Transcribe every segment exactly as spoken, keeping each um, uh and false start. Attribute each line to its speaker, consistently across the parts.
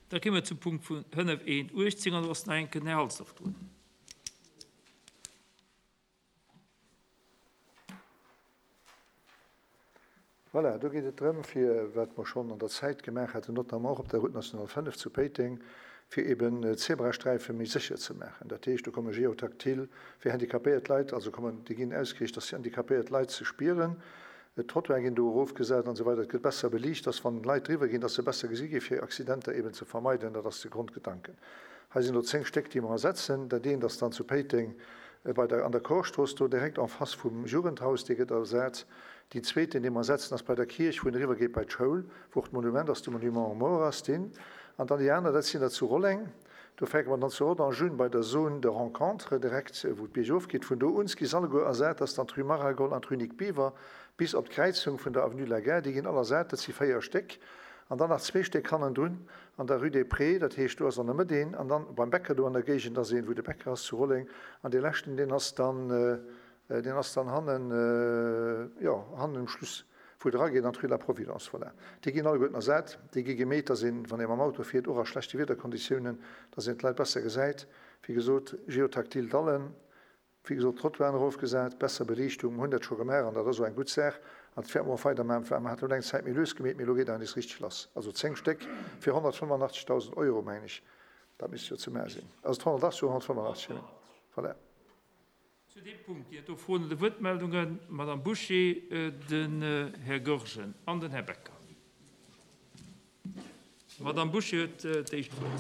Speaker 1: Da komme mer zum Punkt vun fënnef eent uechtzéng an do ass nach eng Kéier den Här Halsdorf drun.
Speaker 2: Voilà, do geet et drëm, fir, wat mer schonn an der Zäit gemaach haten, notamment och op der Route nationale fënnef zu Péiteng, fir eben d'Zebrasträife méi sécher ze maachen. Dat heescht, do komme Géotactile fir handicapéiert Leit, also kommen, déi ginn ausgeriicht, dass handicapéiert Leit se spieren. D'Trottoire ginn do erofgesat an esou weider. Et gëtt besser beliicht, dass wann Leit driwwer ginn, dass se besser gesi gi fir Accidenter eben ze vermeiden. Dat ass de Grondgedanken. Hei sinn elo zéng Stéck, déi mer ersetzen. Dat eent ass dann zu Péiteng bei der, an der Korstrooss, do direkt en face vum Jugendhaus, dee gëtt ersat. Deen zweeten, dee mer ersetzen, ass bei der Kierch, wou een eriwwer geet bei d'Schoul, wou och d'Monument ass, de Monument aux morts ass deen. An dann déi aner, dat sinn der zu Rolleng. Do fänke mer dann zu Rodange un bei der Zone de rencontre, direkt wou d'Bierg ofgeet. Vun do un gi se alleguer ersat, dat ass dann d'Rue Maragol an d'Rue Nic Biver bis op d'Kräizung vun der Avenue de la Gare. Déi ginn all ersat, dat si véier Stéck. An dann nach zwee Stéck hannendrun an der Rue des Prés, dat heescht do ass an der Mëtt een, an dann beim Bäcker do an der Géigend ass een, wou de Bäcker ass zu Rolleng. An dee leschten, deen ass dann, deen ass dann hannen, jo, hannen um Schluss, wou et erageet an d'Rue de la Providence. Voilà. Déi ginn alleguerten ersat. Déi gi gemeet, dass een, wann ee mam Auto fiert, och a schlechte Wiederkonditiounen, dass een d'Leit besser gesäit. Wéi gesot, geotactile Dallen, wéi gesot, Trottoiren erofgesat, besser Beliichtung. Mer hunn dat scho gemaach an dat ass och eng gutt Saach. An dat wäerte mer och weidermaachen. Well mer haten elo eng Zäit méi lues gemeet, mee elo geet dat nees richteg lass. Also zéng Stéck fir honnertfënnefenachtzegdausend Euro, mengen ech, dat misst jo ze maache sinn. Ass et honnertachtzeg oder honnertfënnefenachtzeg? Voilà.
Speaker 1: Zu deem Punkt ginn et do Froen oder Wuertmeldungen. D'Madame Bouché, den Här Goergen an den Här Becker. D'Madame Bouché huet d'éischt Wuert.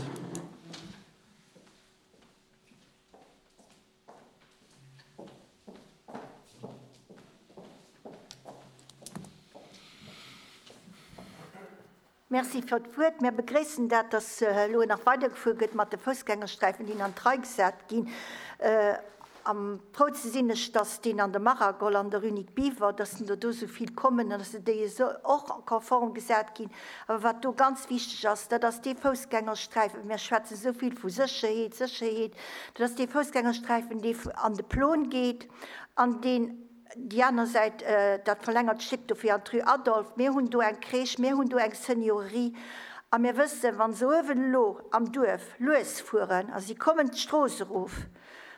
Speaker 3: Merci fir d'Wuert. Mir begréissen dat, dass elo nach weidergefuer gëtt mat de Foussgängersträifen, déi an d'Rei gesat ginn. Am frou ze sinn ech, dass deen an der Maragol an der Rue Nic Biver, dass den do do esou vill kommen an dass se déi esou och konform gesat ginn. Awer wat do ganz wichteg ass, dat ass dee Foussgängersträifen, mir schwätzen esou vill vu Sécherheet, Sécherheet, dat ass dee Foussgängersträifen, dee an de Plon geet an deen déi aner Säit, dat verlängert Stéck do fir an d'Rue Adolphe. Mir hunn do eng Crèche, mir hunn do eng Seniorerie a mir wëssen, wa se uewen elo am Duerf lues fueren a si kommen d'Strooss erof,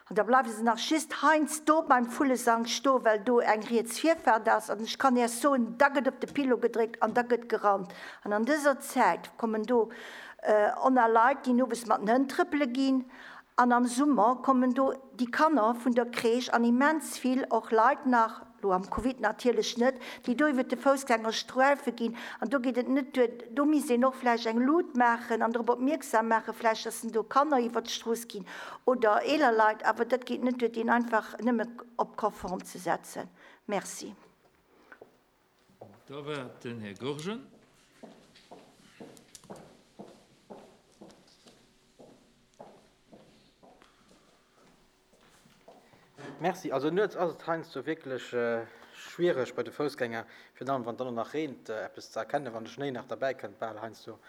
Speaker 3: an da bleiwe se nach just heiansdo beim Vullesank sto, well do eng riets Virfaart ass. An ech kann Iech soen, da gëtt op de Pilo gedréckt an da gëtt gerannt. An an dëser Zäit kommen do oner Leit, déi owes mat den Hënn trëppele ginn. An am Summer kommen do déi Kanner vun der Crèche an immens vill och Leit nach, lo am Covid natierlech net, déi do iwwer de Foussgängersträife ginn. An do geet et net duer, do misst een och vläicht eng Lut maachen an drop opmierksam maachen, vläicht, dass do Kanner iwwer d'Strooss ginn oder eeler Leit, awer dat geet net duer, deen einfach nëmme op konform ze setzen. Merci.
Speaker 1: Da war den Här Goergen.
Speaker 4: Merci. Also nuets ass et heiansdo wierklech schwiereg bei de Foussgänger, virun allem wann et dann och nach reent, eppes ze erkennen, wann de Schnéi nach derbäi kënnt, bal heiansdo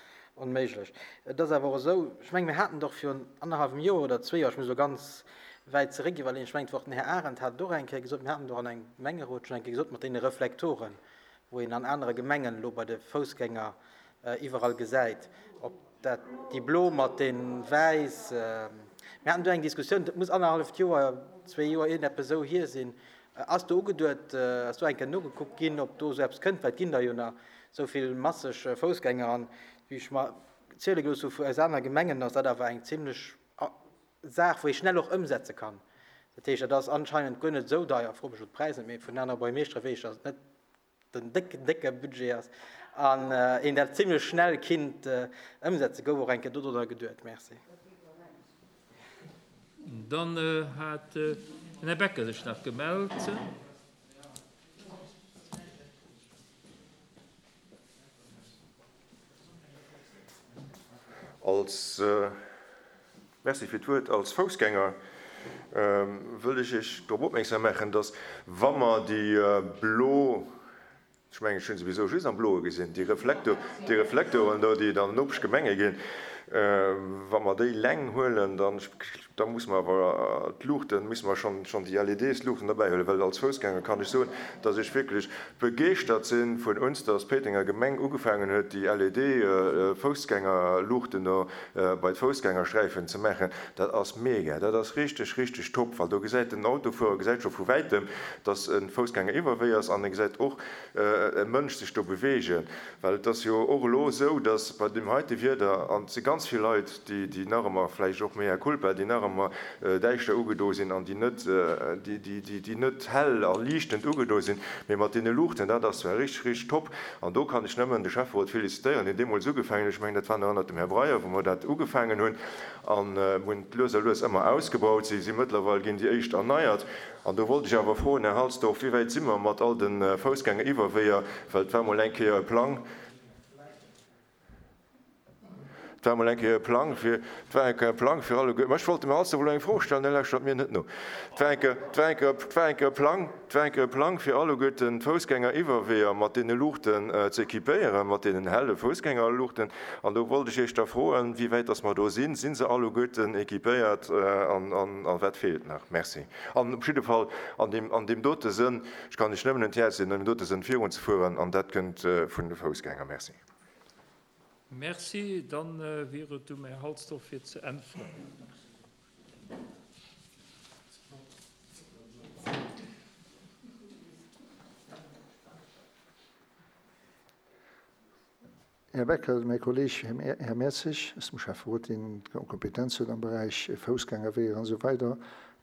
Speaker 4: onméiglech. Et ass awer och esou, ech mengen, mir haten et och virun annerhallwem Joer oder zwee Joer, ech muss elo ganz wäit zeréck iwwerleeën, ech mengen, et war och den Här Arendt hat et och eng Kéier gesot, mir haten et och an engem Gemengerot schonn eng Kéier gesot mat deene Reflektoren, wou een an anere Gemengen elo bei de Foussgänger iwwerall gesäit, ob dat déi blo mat de wäiss, mir haten do eng Diskussioun, dat muss annerhalleft Joer, zwee Joer, iergendeppes esou hier sinn. Ass do ugeduet, ass do eng Kéier nogekuckt ginn, ob do esou eppes kënnt, well et ginn der jo nach esou vill masseg Foussgänger an wéi ech mer ziele gelooss hu vu aus anere Gemengen, ass dat awer eng zimlech Saach, wou ee schnell och ëmsetze kann. Dat heescht, dat ass anscheinend guer net esou deier, fro mech elo d'Präis net, mee vun anere Buergermeeschtere weess ech, dass et net den décken, décke Budget ass an een dat zimlech schnell kinnt ëmsetzen. Gouf och eng Kéier dodrunner geduet? Merci.
Speaker 1: Dann hat den Här Becker sech nach gemellt.
Speaker 5: Als, Merci fir d'Wuert. Als Foussgänger wëll ech Iech drop opmierksam maachen, dass, wa mer déi blo, ech mengen, ech hu se souwisou just am Bloe gesinn, déi Reflektor, déi Reflektoren do, déi et an den Nopeschgemenge ginn, wa mer déi Läng huelen, dann Da muss mer awer d'Luuchten, musse mer schonn, schonn déi LEDs-Luuchten derbäihuelen, well als Foussgänger kann ech soen, dass ech wierklech begeeschtert si vun uns, dass d'Péitenger Gemeng ugefaangen huet, déi LED-Foussgängerluuchten do bei d'Foussgängersträifen ze maachen. Dat ass mega, dat ass richteg, richteg top, well do gesäit den Autofuerer gesäit scho vu wäitem, dass e Foussgänger iwwerwee ass an e gesäit och e Mënsch sech do beweegen. Well et ass jo och elo esou, dass bei deem heite Wieder, an et si ganz vill Leit, déi, déi nach ëmmer, vläicht och mea culpa, déi nach ëmmer däischter ugedo sinn an déi net, déi, déi, déi, déi net hell a liichtend ugedo sinn, mee mat deene Luuchten, dat ass zwar richteg, richteg top. An do kann ech nëmmen de Schäfferot félicitéieren, deen deemools ugefaangen huet, ech mengen, dat war nach ënnert dem Här Breyer, wou mer dat ugefaangen hunn, an hunn et lues a lues ëmmer ausgebaut. Si si mëttlerweil ginn déi éischt erneiert. An do wollt ech awer froen, Här Halsdorf, wéi wäit si mer mat all de Foussgängeriwwerweeër, well et war mol eng Kéier e Plang, Et war emol eng Kéier e Plang fir, et war eng Kéier e Plang fir alleguer, ma ech wollt dem Här Halsdorf elo eng Fro stellen, hie lauschtert mir net no. Et war eng Kéier, et war eng Kéier, et war eng Kéier e Plang, et war eng Kéier e Plang fir alleguerten d'Foussgängeriwwerweeër mat deene Luuchten ze équipéieren, mat deenen helle Foussgängerluuchten. An do wollt ech Iech da froen, wéi wäit dass mer do sinn. Si se alleguerten équipéiert an, an, a wat feelt nach? Merci. An op jidde Fall an deem, an deem dote Sënn, ech kann Iech nëmmen un d'Häerz leeën, an deem dote Sënn virunzefueren, an dat kënnt vun de Foussgänger. Merci.
Speaker 1: Merci. Dann wier et um Här Halsdorf fir ze äntweren.
Speaker 2: Här Becker, mäi Kolleg Här Mertzig ass dem Schäfferot, deen d'Kompetenz huet am Beräich Foussgängerweeër an esou weider,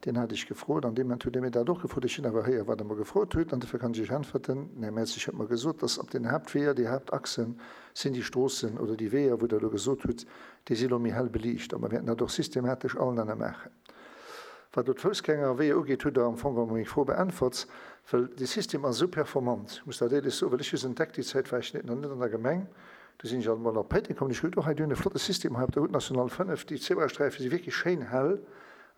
Speaker 2: deen hat ech gefrot. An deem Moment huet e mir dat och gefrot. Ech hunn awer héier, wat Der mer gefrot hutt, an dofir kann ech Iech äntwerten. Den Här Mertzig huet mer gesot, dass op den Haaptweeër, déi Haaptachsen sinn déi Stroossen oder déi Weeër, wou Der elo gesot hutt, déi si elo méi hell beliicht. A mer wäerten dat och systematesch allen anne maachen. Wat elo d'Foussgängerweeër ugeet, hutt Der am Fong geholl meng Fro beäntwert, well dee System ass esou performant, ech muss dat éierlech soen, well ech hu se entdeckt, déi Zäit war ech net nach net an der Gemeng, do sinn ech alt emol op Péiteng komm, an ech hu gesot, oh hei, déi hunn e flotte System hei op der Route nationale fënnef, déi Zebrasträife si wierklech schéin hell.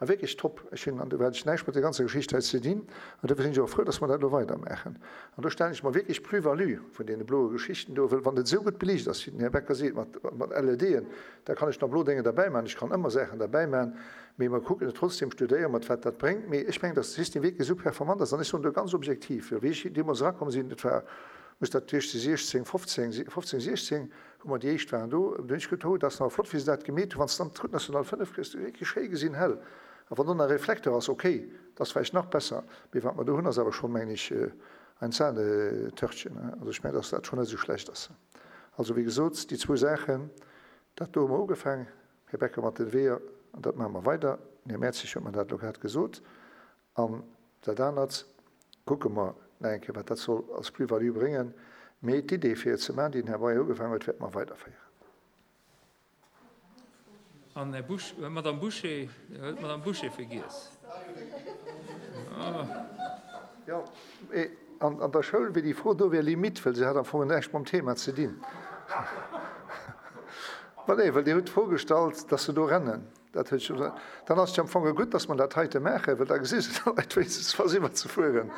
Speaker 2: A wierklech top. Ech hunn, an do hat ech näischt mat der ganzer Geschicht hei ze dinn, an dofir sinn ech och frou, dass mer dat elo weidermaachen. An do stellen ech mer wierklech d'Plus-value vun deene bloe Geschichten do, wëll wann et esou gutt beliicht ass, wéi den Här Becker seet, mat, mat LEDen, da kann ech nach blo Dénge derbäimaachen, ech kann ëmmer Saachen derbäimaachen, mee mer kucken et trotzdem, studéiere mer et, wat dat bréngt. Mee ech mengen, dass de System wierklech esou performant ass, an ech soen do ganz objektiv, wéi ech deemools erakomm sinn, et war, muss dat gewiescht si siechzéng, fofzéng, fofzéng, siechzéng, wou mer déi éischt waren do, do hunn ech geduet, oh, dat ass awer flott, wéi se dat gemeet hunn, wann s de dann d'Route nationale fënnef kriss, du wierklech schéi gesinn, hell. A wann do nach e Reflektor ass, okay, dat ass vläicht nach besser, mee wat mer do hunn, ass awer schonn, mengen ech, ein Sahnetörtchen. Also ech mengen, dass dat schonn net esou schlecht ass. Also, wéi gesot, déi zwou Saachen, dat do hu mer ugefaang, Här Becker, mat den Weeër, an dat maache mer weider. Den Här Mertzig huet mer dat elo grad gesot. An dat anert kucke mer nach eng Kéier, wat dat soll als Plus-value bréngen. Mee d'Idee, fir et ze maachen, déi den Här Breyer ugefaangen huet, wäerte mer weiderféieren.
Speaker 1: An Här Busch, Madame Bouché, Dir huet d'Madame Bouché vergiess.
Speaker 2: Jo, mee an der Schoul wier déi Fro do wier limite, well se hat am Fong näischt mam Thema ze dinn. Ma nee, well Dir hutt d'Fro gestallt, dass se do rennen. Dat huet scho, dann ass et jo am Fong gutt, dass mer dat heite maachen, well da gesi se d'Leit wéinstens, wa se iwwerzefueren.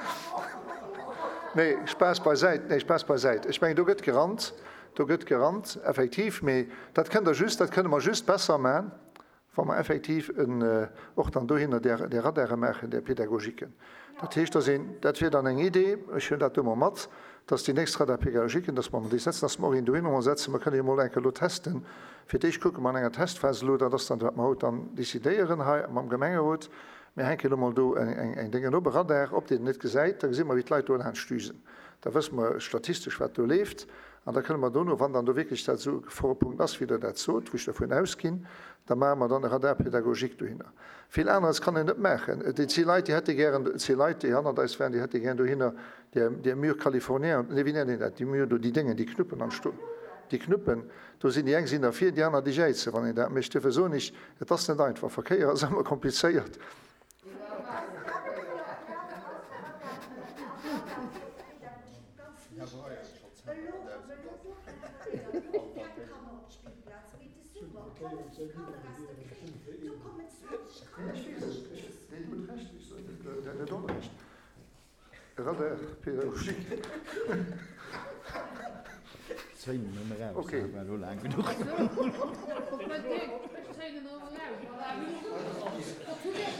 Speaker 2: Nee, Spaass beisäit, nee, Spaass beisäit. Ech mengen, do gëtt gerannt, do gëtt gerannt, effektiv, mee dat kënnt Der just, dat kënne mer just besser maachen, wa mer effektiv en, och dann dohinner där, där Radare maachen, där Pédagogiquen. Dat heescht, dass een, dat wier dann eng Idee, ech hunn dat do mol mat, dass déi nächst Radar pédagogiquen, dass mer déi setzen, dass mer och een dohinner mol setzen. Mer kënne jo mol eng Kéier elo testen. Fir d'éischt kucke mer an enger Testphas elo, dat ass dann, wat mer haut dann décidéieren hei mam Gemengerot. Mir hänken elo mol do eng Déngen op, e Radar, ob deen en net gesäit, da gesi mer, wéi d'Leit do laanscht düsen. Da wësse mer statistesch, wat do leeft. An da kënne mer dono, wann dann do wierklech dat esou e Geforepunkt ass, wéi Der dat sot, wou ech dervun ausginn, da maache mer dann e Radar pédagogique dohinner. Vill aneres kann een net maachen. Et si Leit, déi hätte gären, et si Leit, déi hannert eis waren, déi hätte gären dohinner där, där Mur californien, nee, wéi nennt een dat, déi Mur do, déi Déngen, déi Knuppen am Sto, déi Knuppen, do sinn déi eng sinn derfir, déi aner, déi jäizen, wann een dat mécht. Duerfir soen ech, et ass net einfach. Verkéier ass ëmmer komplizéiert.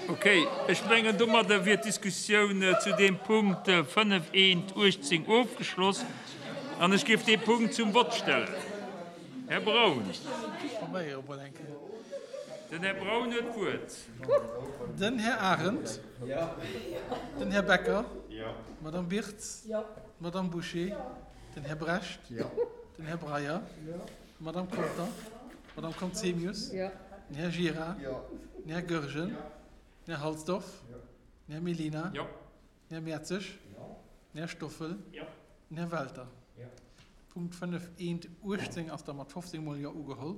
Speaker 1: Okay, ech mengen, domadder wier d'Diskussioun zu deem Punkt fënnef eent uechtzéng ofgeschloss an ech géif dee Punkt zum Vott stellen. Här Braun. Den Här Braun huet d'Wuert.
Speaker 6: Den Här Arendt. Den Här Becker. D'Madame Birtz. D'Madame Bouché. Den Här Brecht. Den Här Breyer. D'Madame Conter. D'Madame Conzemius. Den Här Gira. Den Här Goergen. Den Här Halsdorf. Den Här Mellina. Den Här Mertzig. Den Här Stoffel. Den Här Welter. Punkt fënnef eent uechtzéng ass da mat fofzéng mol Jo ugeholl.